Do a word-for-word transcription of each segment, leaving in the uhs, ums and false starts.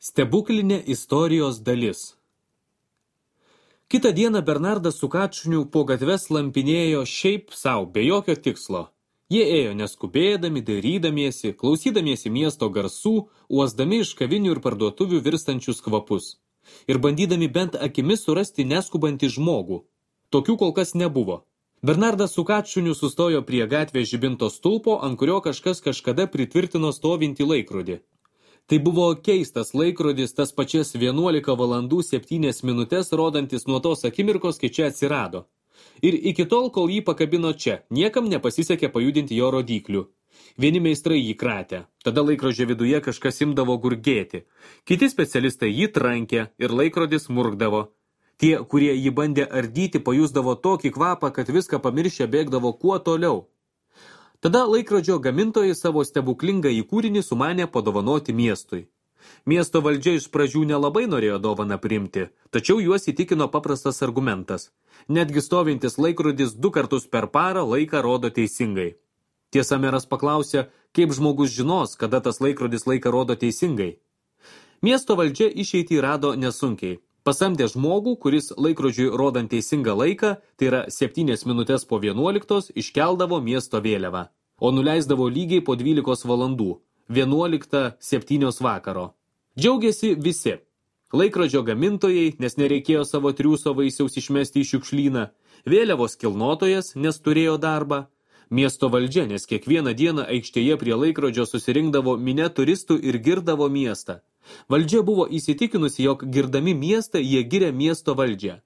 Stebuklinė istorijos dalis. Kitą dieną Bernardas su Kačuniu po gatves lampinėjo šiaip sau, be jokio tikslo. Jie ėjo neskubėdami, dairydamiesi, klausydamiesi miesto garsų, uosdami iš kavinių ir parduotuvių virstančius kvapus. Ir bandydami bent akimis surasti neskubantį žmogų. Tokių kol kas nebuvo. Bernardas su Kačuniu sustojo prie gatvės žibinto stulpo, ant kurio kažkas kažkada pritvirtino stovintį laikrodį. Tai buvo keistas laikrodis, tas pačias vienuolika valandų septynias minutės, rodantis nuo tos akimirkos, kai čia atsirado. Ir iki tol, kol jį pakabino čia, niekam nepasisekė pajudinti jo rodyklių. Vieni meistrai jį kratė, tada laikrodžio viduje kažkas imdavo gurgėti. Kiti specialistai jį trankė ir laikrodis murkdavo. Tie, kurie jį bandė ardyti, pajusdavo tokį kvapą, kad viską pamiršę bėgdavo kuo toliau. Tada laikrodžio gamintojai savo stebuklingą įkūrinį sumanė padovanoti miestui. Miesto valdžia iš pradžių nelabai norėjo dovaną priimti, tačiau juos įtikino paprastas argumentas. Netgi stovintis laikrodis du kartus per parą laiką rodo teisingai. Tiesa, meras paklausė, kaip žmogus žinos, kada tas laikrodis laiką rodo teisingai. Miesto valdžia išeitį rado nesunkiai. Pasamdė žmogų, kuris laikrodžiui rodant teisingą laiką, tai yra septynias minutės po vienuoliktos, iškeldavo miesto vėliavą, o nuleisdavo lygiai po dvylikos valandų, vienuoliktą septynios vakaro. Džiaugiasi visi. Laikrodžio gamintojai, nes nereikėjo savo triūso vaisiaus išmesti į šiukšlyną, vėliavos kilnotojas, nes turėjo darbą, miesto valdžia, nes kiekvieną dieną aikštėje prie laikrodžio susirinkdavo minia turistų ir girdavo miestą. Valdžia buvo įsitikinusi, jog girdami miestą jie giria miesto valdžią.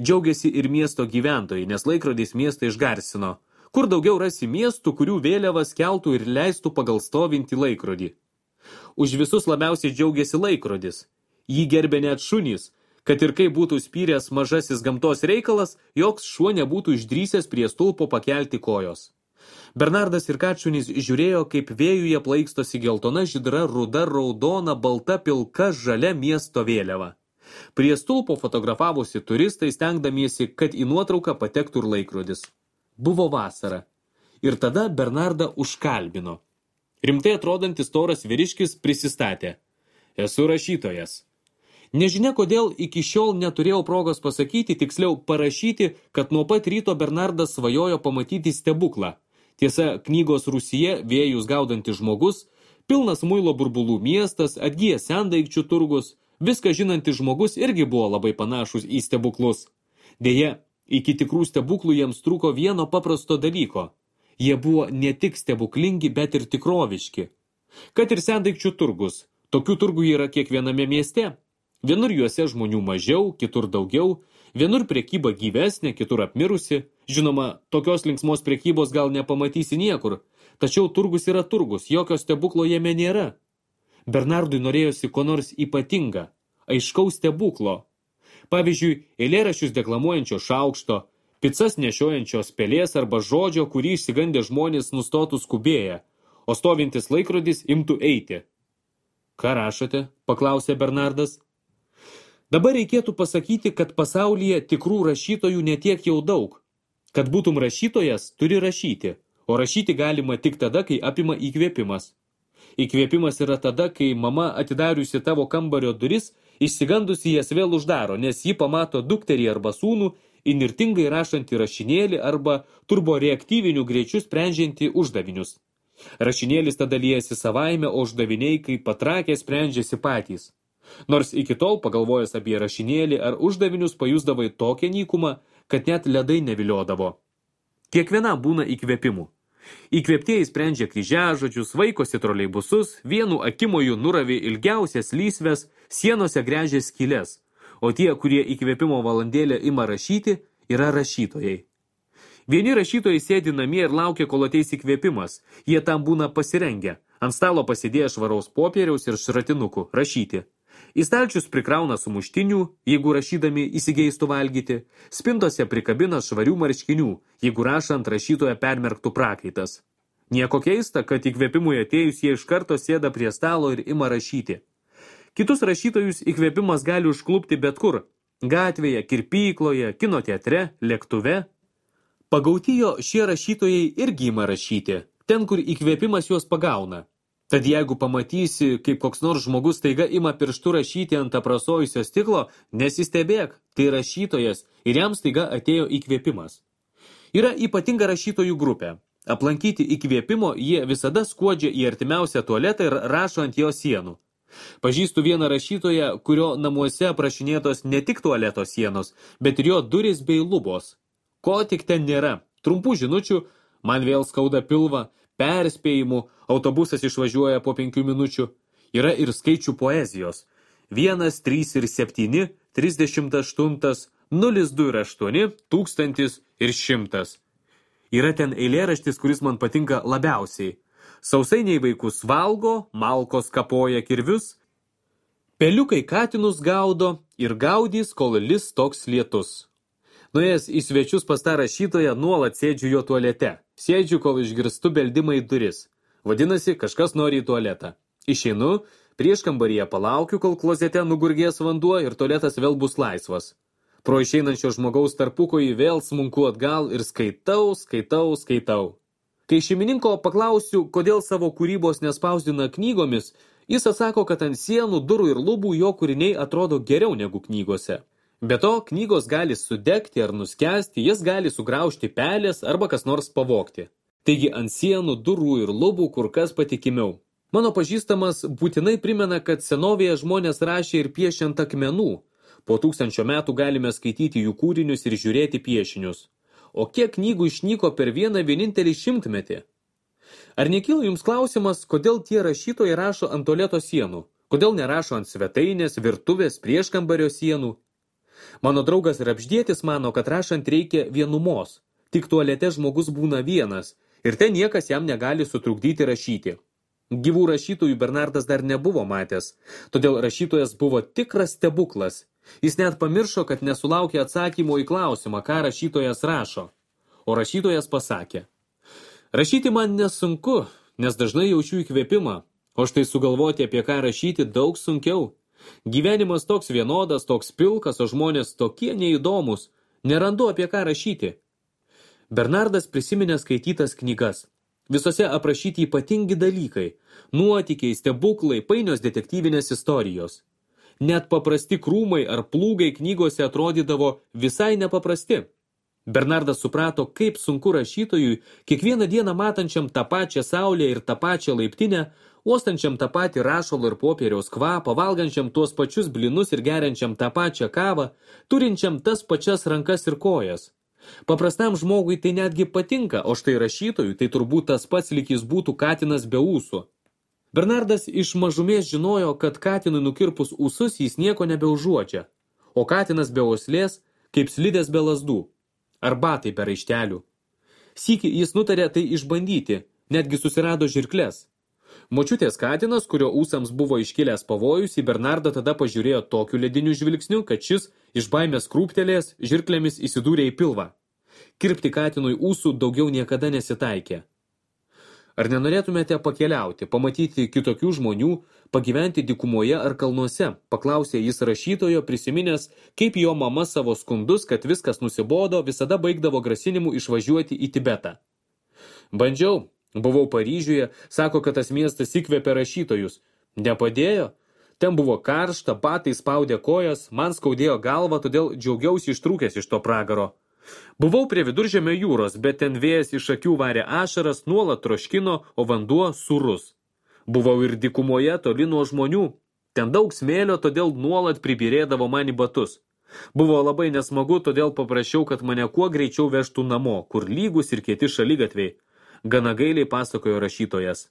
Džiaugiasi ir miesto gyventojai, nes laikrodis miestą išgarsino. Kur daugiau rasi miestų, kurių vėliavas keltų ir leistų pagal stovintį laikrodį. Už visus labiausiai džiaugiasi laikrodis. Jį gerbė net šunys, kad ir kaip būtų spyręs mažasis gamtos reikalas, joks šuo nebūtų išdrįsęs prie stulpo pakelti kojos. Bernardas ir Kačunis žiūrėjo, kaip vėjuje plaikstosi geltona, žydra, ruda, raudona, balta, pilka, žalia miesto vėliava. Prie stulpo fotografavosi turistai, stengdamiesi, kad į nuotrauką patektų ir laikrodis. Buvo vasara. Ir tada Bernardą užkalbino. Rimtai atrodantis storas vyriškis prisistatė. Esu rašytojas. Nežinia, kodėl iki šiol neturėjau progos pasakyti, tiksliau parašyti, kad nuo pat ryto Bernardas svajojo pamatyti stebuklą. Tiesa, knygos Rūsyje vėjus gaudantis žmogus, pilnas muilo burbulų miestas, atgyjęs sendaikčių turgus, viską žinantis žmogus irgi buvo labai panašus į stebuklus. Deja, iki tikrų stebuklų jiems trūko vieno paprasto dalyko. Jie buvo ne tik stebuklingi, bet ir tikroviški. Kad ir sendaikčių turgus, tokių turgų yra kiekviename mieste. Vienur juose žmonių mažiau, kitur daugiau, vienur prekyba gyvesnė, kitur apmirusi. Žinoma, tokios linksmos prekybos gal nepamatysi niekur, tačiau turgus yra turgus, jokio stebuklo jame nėra. Bernardui norėjosi ko nors ypatinga, aiškaus stebuklo. Pavyzdžiui, eilėraščius deklamuojančio šaukšto, picas nešiojančios pelės arba žodžio, kurį išsigandę žmonės nustotų skubėję, o stovintis laikrodis imtų eiti. Ką rašote? Paklausė Bernardas. Dabar reikėtų pasakyti, kad pasaulyje tikrų rašytojų netiek jau daug. Kad būtum rašytojas, turi rašyti, o rašyti galima tik tada, kai apima įkvėpimas. Įkvėpimas yra tada, kai mama atidariusi tavo kambario duris, išsigandusi jas vėl uždaro, nes ji pamato dukterį arba sūnų, įnirtingai rašantį rašinėlį arba turboreaktyvinių greičių sprendžiantį uždavinius. Rašinėlis tada liejasi savaime, o uždaviniai, kai patrakę, sprendžiasi patys. Nors iki tol, pagalvojęs apie rašinėlį ar uždavinius, pajusdavai tokią nykumą, kad net ledai neviliodavo. Kiekvienam būna įkvėpimų. Įkvėptieji sprendžia kryžiažodžius, vaikosi troleibusus, vienu akimoju nuravė ilgiausias lysves, sienose gręžia skyles, o tie, kurie įkvėpimo valandėlę ima rašyti, yra rašytojai. Vieni rašytojai sėdi namie ir laukia, kol ateis įkvėpimas. Jie tam būna pasirengę. Ant stalo pasidėję švaraus popieriaus ir šratinukų rašyti. Į stalčius prikrauna sumuštinių, jeigu rašydami įsigeistų valgyti, spintose prikabina švarių marškinių, jeigu rašant rašytoje permerktų prakaitas. Nieko keista, kad įkvėpimui atėjus jie iš karto sėda prie stalo ir ima rašyti. Kitus rašytojus įkvėpimas gali užklupti bet kur – gatvėje, kirpykloje, kino teatre, lėktuve. Pagauti jo šie rašytojai irgi ima rašyti, ten, kur įkvėpimas juos pagauna. Tad jeigu pamatysi, kaip koks nors žmogus staiga ima pirštu rašyti ant aprasojusio stiklo, nesistebėk, tai rašytojas ir jam staiga atėjo įkvėpimas. Yra ypatinga rašytojų grupė. Aplankyti įkvėpimo jie visada skuodžia į artimiausią tualetą ir rašo ant jo sienų. Pažįstu vieną rašytoją, kurio namuose aprašinėtos ne tik tualeto sienos, bet ir jo durys bei lubos. Ko tik ten nėra. Trumpų žinučių, man vėl skauda pilvą, perspėjimų, autobusas išvažiuoja po penkių minučių. Yra ir skaičių poezijos. Vienas, trys ir septyni, trisdešimt aštuntas, nulis du ir aštuoni, tūkstantis ir šimtas. Yra ten eilėraštis, kuris man patinka labiausiai. Sausainiai vaikus valgo, malkos kapoja kirvius, peliukai katinus gaudo ir gaudys, kol lis toks lietus. Nuėjęs į svečius pas tą rašytoją, nuolat sėdžiu jo tualete. Sėdžiu, kol išgirstu beldimą į duris. Vadinasi, kažkas nori į tualetą. Išeinu, prieš kambaryje palaukiu, kol klozete nugurgės vanduo ir tualetas vėl bus laisvas. Pro išeinančio žmogaus tarpukojį vėl smunku atgal ir skaitau, skaitau, skaitau. Kai šeimininko paklausiu, kodėl savo kūrybos nespausdina knygomis, jis atsako, kad ant sienų, durų ir lubų jo kūriniai atrodo geriau negu knygose. Be to, knygos gali sudegti ar nuskęsti, jas gali sugraužti pelės arba kas nors pavogti. Taigi ant sienų, durų ir lubų kur kas patikimiau. Mano pažįstamas būtinai primena, kad senovėje žmonės rašė ir piešė ant akmenų. Po tūkstančio metų galime skaityti jų kūrinius ir žiūrėti piešinius. O kiek knygų išnyko per vieną vienintelį šimtmetį? Ar nekyla jums klausimas, kodėl tie rašytojai rašo ant tualeto sienų? Kodėl nerašo ant svetainės, virtuvės, prieškambario sienų? Mano draugas Rapždėtis mano, kad rašant reikia vienumos. Tik tualete žmogus būna vienas ir ten niekas jam negali sutrukdyti rašyti. Gyvų rašytojų Bernardas dar nebuvo matęs, todėl rašytojas buvo tikras stebuklas. Jis net pamiršo, kad nesulaukė atsakymo į klausimą, ką rašytojas rašo. O rašytojas pasakė: rašyti man nesunku, nes dažnai jaučiu įkvėpimą, o štai sugalvoti, apie ką rašyti, daug sunkiau. Gyvenimas toks vienodas, toks pilkas, o žmonės tokie neįdomus. Nerandu, apie ką rašyti. Bernardas prisiminė skaitytas knygas. Visose aprašyti ypatingi dalykai. Nuotykiai, stebuklai, painios detektyvinės istorijos. Net paprasti krūmai ar plūgai knygose atrodydavo visai nepaprasti. Bernardas suprato, kaip sunku rašytojui, kiekvieną dieną matančiam tą pačią saulę ir tą pačią laiptinę, uostančiam tą patį rašalo ir popieriaus kvapą, valgančiam tuos pačius blinus ir geriančiam tą pačią kavą, turinčiam tas pačias rankas ir kojas. Paprastam žmogui tai netgi patinka, o štai rašytojui tai turbūt tas pats lyg jis būtų katinas be ūsų. Bernardas iš mažumės žinojo, kad katinui nukirpus ūsus jis nieko nebeužuodžia, o katinas be uoslės kaip slidės be lazdų, ar batai be raištelių. Sykį jis nutarė tai išbandyti, netgi susirado žirkles. Močiutės katinas, kurio ūsams buvo iškilęs pavojus, į Bernardą tada pažiūrėjo tokiu lediniu žvilgsniu, kad šis iš baimės krūptelės žirklėmis įsidūrė į pilvą. Kirpti katinui ūsų daugiau niekada nesitaikė. Ar nenorėtumėte pakeliauti, pamatyti kitokių žmonių, pagyventi dykumoje ar kalnuose, paklausė jis rašytojo, prisiminęs, kaip jo mama savo skundus, kad viskas nusibodo, visada baigdavo grasinimu išvažiuoti į Tibetą. Bandžiau. Buvau Paryžiuje, sako, kad tas miestas įkvėpė rašytojus. Nepadėjo? Ten buvo karšta, batai spaudė kojas, man skaudėjo galvą, todėl džiaugiausi ištrūkęs iš to pragaro. Buvau prie Viduržemio jūros, bet ten vėjas iš akių varė ašaras, nuolat troškino, o vanduo sūrus. Buvau ir dykumoje toli nuo žmonių. Ten daug smėlio, todėl nuolat pribirėdavo man į batus. Buvo labai nesmagu, todėl paprašiau, kad mane kuo greičiau vežtų namo, kur lygus ir kieti šaligatviai. Gana gailiai pasakojo rašytojas.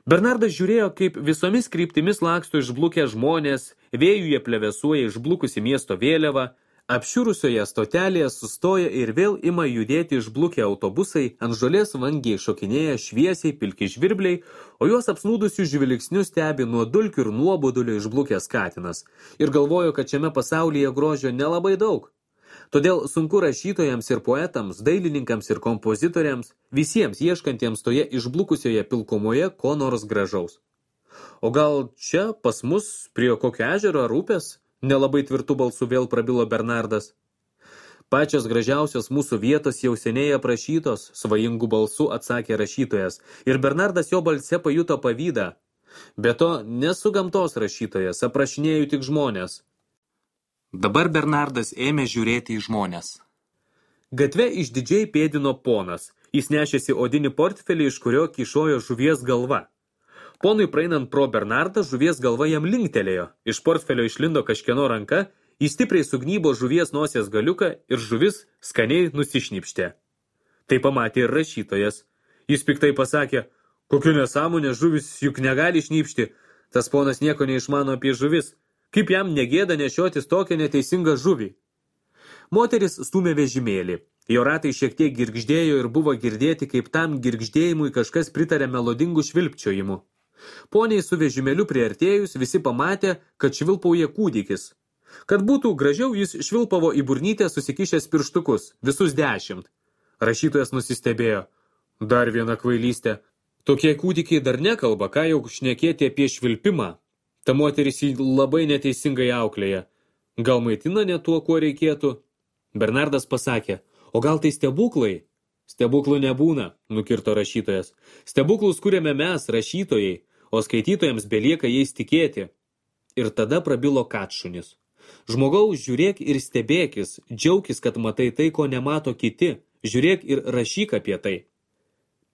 Bernardas žiūrėjo, kaip visomis kryptimis laksto išblukę žmonės, vėjuje plevesuoja išblukusi miesto vėliava, apšiurusioje stotelėje sustoja ir vėl ima judėti išblukę autobusai, ant žolės vangiai šokinėja šviesiai pilki žvirbliai, o juos apsnūdusių žvilgsnių stebi nuo dulkių ir nuobodulio išblukęs katinas ir galvojo, kad šiame pasaulyje grožio nelabai daug. Todėl sunku rašytojams ir poetams, dailininkams ir kompozitoriams, visiems ieškantiems toje išblukusioje pilkumoje ko nors gražaus. O gal čia pas mus prie kokio ežero ar upės? Nelabai tvirtų balsų vėl prabilo Bernardas. Pačios gražiausios mūsų vietos jau seniai aprašytos, svajingų balsų atsakė rašytojas, ir Bernardas jo balse pajuto pavydą. Be to, nesu gamtos rašytojas, aprašinėju tik žmonės. Dabar Bernardas ėmė žiūrėti į žmonės. Gatve išdidžiai pėdino ponas. Jis nešėsi odinį portfelį, iš kurio kyšojo žuvies galva. Ponui praeinant pro Bernardą, žuvies galva jam linktelėjo. Iš portfelio išlindo kažkieno ranka, jis stipriai sugnybo žuvies nosies galiuką ir žuvis skaniai nusišnipštė. Tai pamatė ir rašytojas. Jis piktai pasakė, kokiu nesąmonė žuvis juk negali šnypšti. Tas ponas nieko neišmano apie žuvis. Kaip jam negėda nešiotis tokią neteisingą žuvį? Moteris stūmė vežimėlį. Jo ratai šiek tiek girgždėjo ir buvo girdėti, kaip tam girgždėjimui kažkas pritarė melodingų švilpčiojimu. Poniai su vežimėliu priartėjus visi pamatė, kad švilpauja kūdikis. Kad būtų gražiau, jis švilpavo į burnytę susikišęs pirštukus, visus dešimt. Rašytojas nusistebėjo. Dar viena kvailystė. Tokie kūdikiai dar nekalba, ką jau šnekėti apie švilpimą. Ta moteris jį labai neteisingai auklėja. Gal maitina ne tuo, kuo reikėtų? Bernardas pasakė, o gal tai stebuklai? Stebuklų nebūna, nukirto rašytojas. Stebuklus kuriame mes, rašytojai, o skaitytojams belieka jais tikėti. Ir tada prabilo katšunis. Žmogaus, žiūrėk ir stebėkis, džiaukis, kad matai tai, ko nemato kiti, žiūrėk ir rašyk apie tai.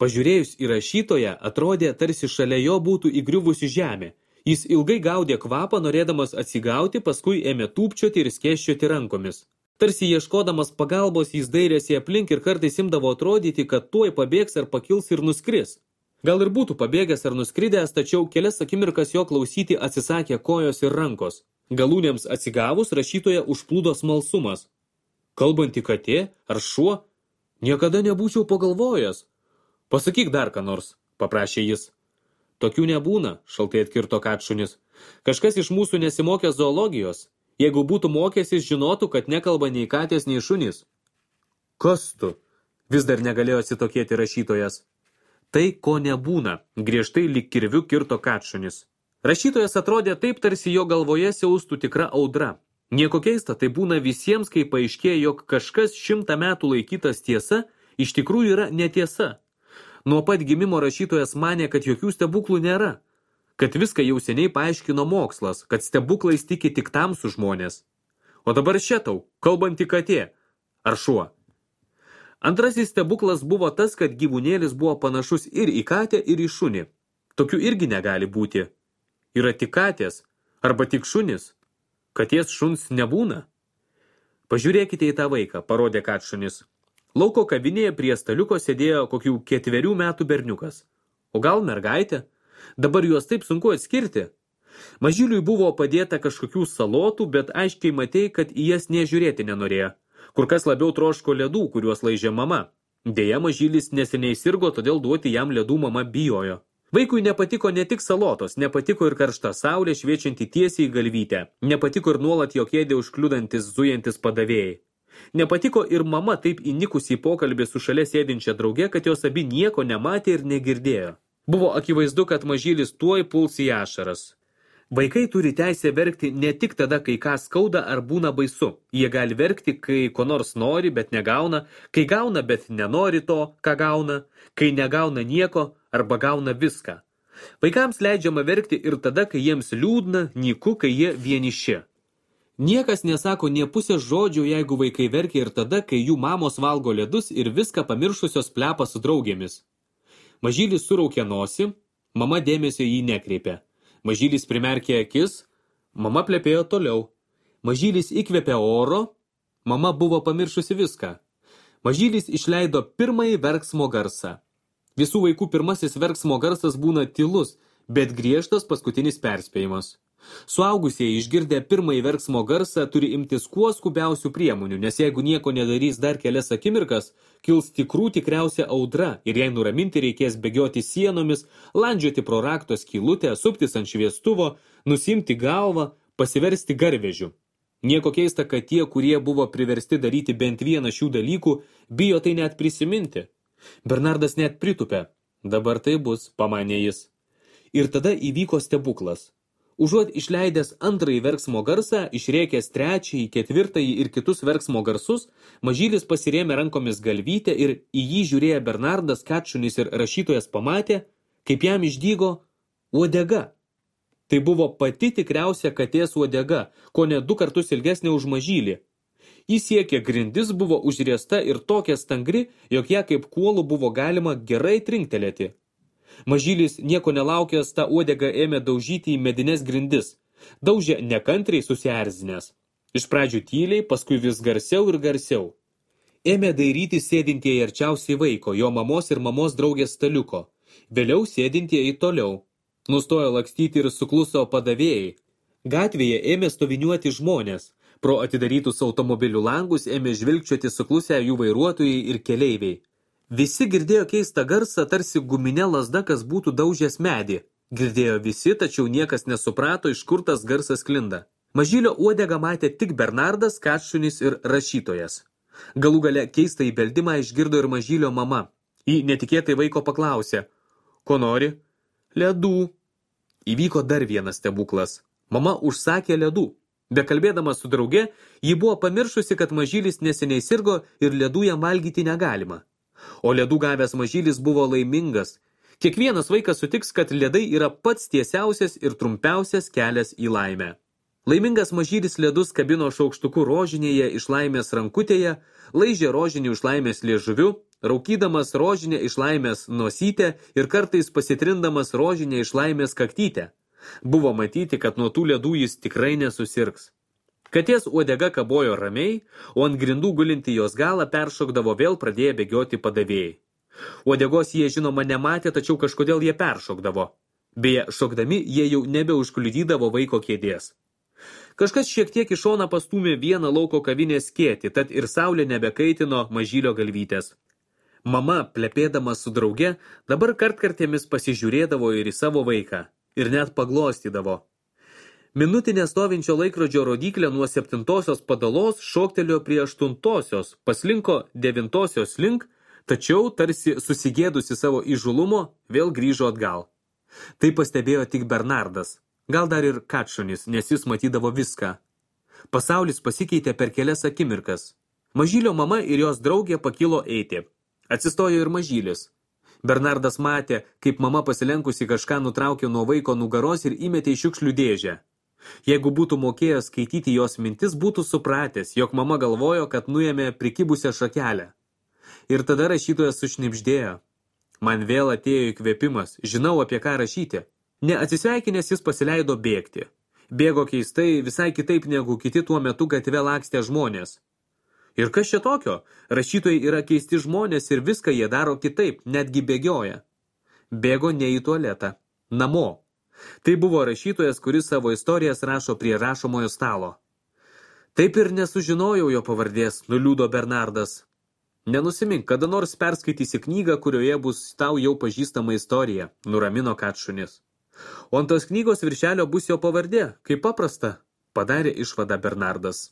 Pažiūrėjus į rašytoją, atrodė, tarsi šalia jo būtų įgriuvusi žemė. Jis ilgai gaudė kvapą, norėdamas atsigauti, paskui ėmė tūpčioti ir skėsčioti rankomis. Tarsi ieškodamas pagalbos, jis dairėsi aplink ir kartais imdavo atrodyti, kad tuoj pabėgs ar pakils ir nuskris. Gal ir būtų pabėgęs ar nuskridęs, tačiau kelias akimirkas jo klausyti atsisakė kojos ir rankos. Galūnėms atsigavus, rašytoje užplūdo smalsumas. Kalbanti katė ar šuo? Niekada nebūčiau pagalvojęs. Pasakyk dar ką nors, paprašė jis. Tokių nebūna, šaltai atkirto katšunis. Kažkas iš mūsų nesimokė zoologijos. Jeigu būtų mokęsis, žinotų, kad nekalba nei katės, nei šunys. Kas tu? Vis dar negalėjo atsitokėti rašytojas. Tai, ko nebūna, griežtai lyg kirviu kirto katšunis. Rašytojas atrodė taip, tarsi jo galvoje siaustų tikra audra. Nieko keista, tai būna visiems, kai paaiškėja, jog kažkas šimtą metų laikytas tiesa, iš tikrųjų yra netiesa. Nuo pat gimimo rašytojas manė, kad jokių stebuklų nėra. Kad viską jau seniai paaiškino mokslas, kad stebuklais tiki tik tamsų žmonės. O dabar šetau, kalbanti katė. Ar šuo? Antrasis stebuklas buvo tas, kad gyvūnėlis buvo panašus ir į katę, ir į šunį. Tokių irgi negali būti. Yra tik katės, arba tik šunis. Katės šuns nebūna. Pažiūrėkite į tą vaiką, parodė katšunis. Lauko kavinėje prie staliuko sėdėjo kokių ketverių metų berniukas. O gal mergaitė? Dabar juos taip sunku atskirti. Mažyliui buvo padėta kažkokių salotų, bet aiškiai matei, kad į jas nežiūrėti nenorėjo. Kur kas labiau troško ledų, kuriuos laižė mama. Deja, mažylis neseniai sirgo, todėl duoti jam ledų mama bijojo. Vaikui nepatiko ne tik salotos, nepatiko ir karšta saulė šviečianti tiesiai į galvytę. Nepatiko ir nuolat jo kėdė užkliudantis, zujantis padavėjai. Nepatiko ir mama taip įnikusi į pokalbį su šalia sėdinčia drauge, kad jos abi nieko nematė ir negirdėjo. Buvo akivaizdu, kad mažylis tuoj puls į ašaras. Vaikai turi teisę verkti ne tik tada, kai ką skauda ar būna baisu. Jie gali verkti, kai ko nors nori, bet negauna, kai gauna, bet nenori to, ką gauna, kai negauna nieko arba gauna viską. Vaikams leidžiama verkti ir tada, kai jiems liūdna, nyku, kai jie vieniši. Niekas nesako nė pusės žodžių, jeigu vaikai verkia ir tada, kai jų mamos valgo ledus ir viską pamiršusios plepa su draugėmis. Mažylis suraukė nosį, mama dėmesio jį nekreipė. Mažylis primerkė akis, mama plepėjo toliau. Mažylis įkvėpė oro, mama buvo pamiršusi viską. Mažylis išleido pirmąjį verksmo garsą. Visų vaikų pirmasis verksmo garsas būna tylus, bet griežtas paskutinis perspėjimas. Suaugusieji išgirdę pirmąjį verksmo garsą turi imtis kuo skubiausių priemonių, nes jeigu nieko nedarys dar kelias akimirkas, kils tikrų tikriausia audra ir jei nuraminti reikės bėgioti sienomis, landžioti pro rakto skylutę, suptis ant šviestuvo, nusimti galvą, pasiversti garvežiu. Nieko keista, kad tie, kurie buvo priversti daryti bent vieną šių dalykų, bijo tai net prisiminti. Bernardas net pritupė. Dabar tai bus, pamanė jis. Ir tada įvyko stebuklas. Užuot išleidęs antrąjį verksmo garsą, išrėkęs trečiąjį, ketvirtąjį ir kitus verksmo garsus, mažylis pasirėmė rankomis galvytę ir į jį žiūrėję Bernardas, Kačunis ir rašytojas pamatė, kaip jam išdygo uodega. Tai buvo pati tikriausia katės uodega, ko ne du kartus ilgesnė už mažylį. Jis siekė grindis, buvo užriesta ir tokia stangri, jog ją kaip kuolų buvo galima gerai trinktelėti. Mažylis nieko nelaukęs tą uodegą ėmė daužyti į medines grindis. Daužė nekantriai susierzinęs. Iš pradžių tyliai, paskui vis garsiau ir garsiau. Ėmė dairyti sėdintieji arčiausiai vaiko, jo mamos ir mamos draugės staliuko. Vėliau sėdintieji toliau. Nustojo lakstyti ir sukluso padavėjai. Gatvėje ėmė stoviniuoti žmonės. Pro atidarytus automobilių langus ėmė žvilgčioti suklusę jų vairuotojai ir keleiviai. Visi girdėjo keistą garsą, tarsi guminė lazda, kas būtų daužęs medį. Girdėjo visi, tačiau niekas nesuprato, iš kur tas garsas sklinda. Mažylio uodegą matė tik Bernardas, Kačunis ir rašytojas. Galų gale keistą įbeldimą išgirdo ir mažylio mama. Ji netikėtai vaiko paklausė, ko nori? Ledų. Įvyko dar vienas stebuklas. Mama užsakė ledų. Bekalbėdama su drauge, ji buvo pamiršusi, kad mažylis neseniai sirgo ir ledų jam valgyti negalima. O ledų gavęs mažylis buvo laimingas. Kiekvienas vaikas sutiks, kad ledai yra pats tiesiausias ir trumpiausias kelias į laimę. Laimingas mažylis ledus kabino šaukštuku rožinėje iš laimės rankutėje, laižė rožinį iš laimės liežuviu, raukydamas rožinę iš laimės nosytę ir kartais pasitrindamas rožinę iš laimės kaktytę. Buvo matyti, kad nuo tų ledų jis tikrai nesusirgs. Katės uodega kabojo ramiai, o ant grindų gulinti jos galą peršokdavo vėl pradėję bėgioti padavėjai. Uodegos jie žinoma nematė, tačiau kažkodėl jie peršokdavo. Beje, šokdami jie jau nebeužkliudydavo vaiko kėdės. Kažkas šiek tiek iš šoną pastūmė vieną lauko kavinės skėtį, tad ir saulė nebekaitino mažylio galvytės. Mama, plepėdama su drauge, dabar kartkartėmis pasižiūrėdavo ir į savo vaiką, ir net paglostydavo. Minutinė stovinčio laikrodžio rodyklė nuo septintosios padalos šoktelėjo prie aštuntosios, paslinko devintosios link, tačiau tarsi susigėdusi savo įžulumo, vėl grįžo atgal. Tai pastebėjo tik Bernardas, gal dar ir Kačunis, nes jis matydavo viską. Pasaulis pasikeitė per kelias akimirkas. Mažylio mama ir jos draugė pakilo eiti. Atsistojo ir mažylis. Bernardas matė, kaip mama pasilenkusi kažką nutraukė nuo vaiko nugaros ir įmetė į šiukšlių dėžę. Jeigu būtų mokėjęs skaityti jos mintis, būtų supratęs, jog mama galvojo, kad nuėmė prikibusią šakelę. Ir tada rašytojas sušnibždėjo. Man vėl atėjo įkvėpimas, žinau apie ką rašyti. Neatsisveikinęs jis pasileido bėgti. Bėgo keistai, visai kitaip negu kiti tuo metu gatve lakstė žmonės. Ir kas čia tokio? Rašytojai yra keisti žmonės ir viską jie daro kitaip, netgi bėgioja. Bėgo ne į tualetą, namo. Tai buvo rašytojas, kuris savo istorijas rašo prie rašomojo stalo. Taip ir nesužinojau jo pavardės, nuliūdo Bernardas. Nenusimink, kada nors perskaitysi knygą, kurioje bus tau jau pažįstama istorija, nuramino Kačunis. O ant tos knygos viršelio bus jo pavardė, kaip paprasta, padarė išvadą Bernardas.